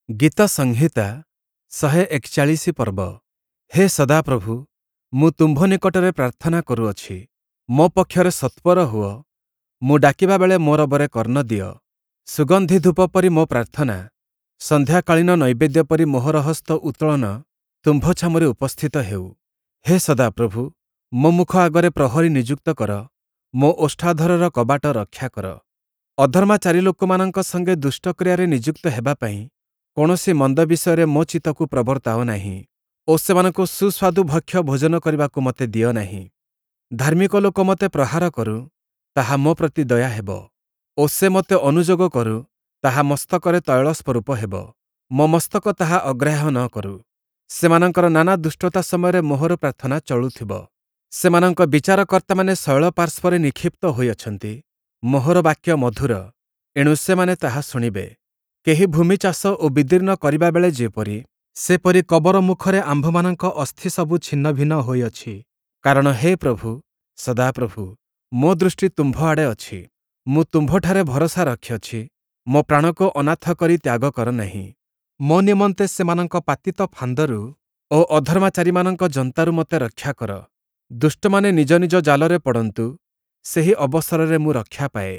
ଗୀତ ସଂହିତା 141 ପର୍ବ। ହେ ସଦାପ୍ରଭୁ, ମୁଁ ତୁମ୍ଭ ନିକଟରେ ପ୍ରାର୍ଥନା କରୁଅଛି, ମୋ ପକ୍ଷରେ ସତ୍ୱର ହୁଅ, ମୁଁ ଡାକିବା ବେଳେ ମୋ ରବରେ କର୍ଣ୍ଣ ଦିଅ। ସୁଗନ୍ଧି ଧୂପ ପରି ମୋ ପ୍ରାର୍ଥନା, ସନ୍ଧ୍ୟାକାଳୀନ ନୈବେଦ୍ୟ ପରି ମୋହର ହସ୍ତ ଉତ୍ତୋଳନ ତୁମ୍ଭ ଛାମୁରେ ଉପସ୍ଥିତ ହେଉ। ହେ ସଦାପ୍ରଭୁ, ମୋ ମୁଖ ଆଗରେ ପ୍ରହରୀ ନିଯୁକ୍ତ କର, ମୋ ଓଷ୍ଠାଧରର କବାଟ ରକ୍ଷା କର। ଅଧର୍ମାଚାରୀ ଲୋକମାନଙ୍କ ସଙ୍ଗେ ଦୁଷ୍ଟକ୍ରିୟାରେ ନିଯୁକ୍ତ ହେବା ପାଇଁ କୌଣସି ମନ୍ଦ ବିଷୟରେ ମୋ ଚିତ୍ତକୁ ପ୍ରବର୍ତ୍ତାଅ ନାହିଁ ଓ ସେମାନଙ୍କୁ ସୁସ୍ୱାଦୁ ଭକ୍ଷ୍ୟ ଭୋଜନ କରିବାକୁ ମୋତେ ଦିଅ ନାହିଁ। ଧାର୍ମିକ ଲୋକ ମୋତେ ପ୍ରହାର କରୁ, ତାହା ମୋ ପ୍ରତି ଦୟା ହେବ ଓ ସେ ମୋତେ ଅନୁଯୋଗ କରୁ, ତାହା ମସ୍ତକରେ ତୈଳ ସ୍ୱରୂପ ହେବ। ମୋ ମସ୍ତକ ତାହା ଅଗ୍ରାହ୍ୟ ନ କରୁ। ସେମାନଙ୍କର ନାନା ଦୁଷ୍ଟତା ସମୟରେ ମୋହର ପ୍ରାର୍ଥନା ଚଳୁଥିବ। ସେମାନଙ୍କ ବିଚାରକର୍ତ୍ତାମାନେ ଶୈଳ ପାର୍ଶ୍ୱରେ ନିକ୍ଷିପ୍ତ ହୋଇଅଛନ୍ତି। ମୋହର ବାକ୍ୟ ମଧୁର, ଏଣୁ ସେମାନେ ତାହା ଶୁଣିବେ। କେହି ଭୂମି ଚାଷ ଓ ବିଦୀର୍ଣ୍ଣ କରିବାବେଳେ ଯେପରି, ସେପରି କବର ମୁଖରେ ଆମ୍ଭମାନଙ୍କ ଅସ୍ଥି ସବୁ ଛିନ୍ନଭିନ୍ନ ହୋଇଅଛି। କାରଣ ହେ ପ୍ରଭୁ, ସଦାପ୍ରଭୁ, ମୋ ଦୃଷ୍ଟି ତୁମ୍ଭ ଆଡ଼େ ଅଛି। ମୁଁ ତୁମ୍ଭଠାରେ ଭରସା ରଖିଅଛି, ମୋ ପ୍ରାଣକୁ ଅନାଥ କରି ତ୍ୟାଗ କର ନାହିଁ। ମୋ ନିମନ୍ତେ ସେମାନଙ୍କ ପାତିତ ଫାନ୍ଦରୁ ଓ ଅଧର୍ମାଚାରୀମାନଙ୍କ ଯନ୍ତାରୁ ମୋତେ ରକ୍ଷା କର। ଦୁଷ୍ଟମାନେ ନିଜ ନିଜ ଜାଲରେ ପଡ଼ନ୍ତୁ, ସେହି ଅବସରରେ ମୁଁ ରକ୍ଷା ପାଏ।